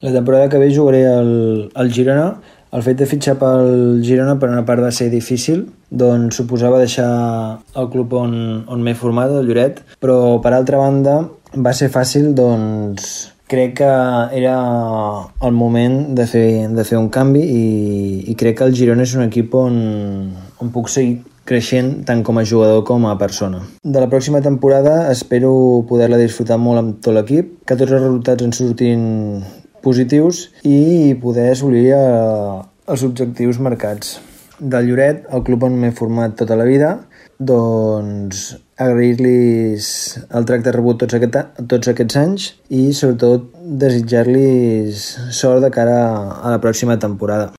La temporada que ve jugaré al Girona. El fet de fitxar pel Girona per una part va ser difícil, doncs suposava deixar el club on m'he format, el Lloret, però per altra banda va ser fàcil, doncs crec que era el moment de fer un canvi i crec que el Girona és un equip on puc seguir creixent tant com a jugador com a persona. De la pròxima temporada espero poder-la disfrutar molt amb tot l'equip, que tots els resultats en surtin positius i poder assolir els objectius marcats. Del Lloret, el club on m'he format tota la vida, doncs agrair-los el tracte rebut tots aquests anys i sobretot desitjar-los sort de cara a la pròxima temporada.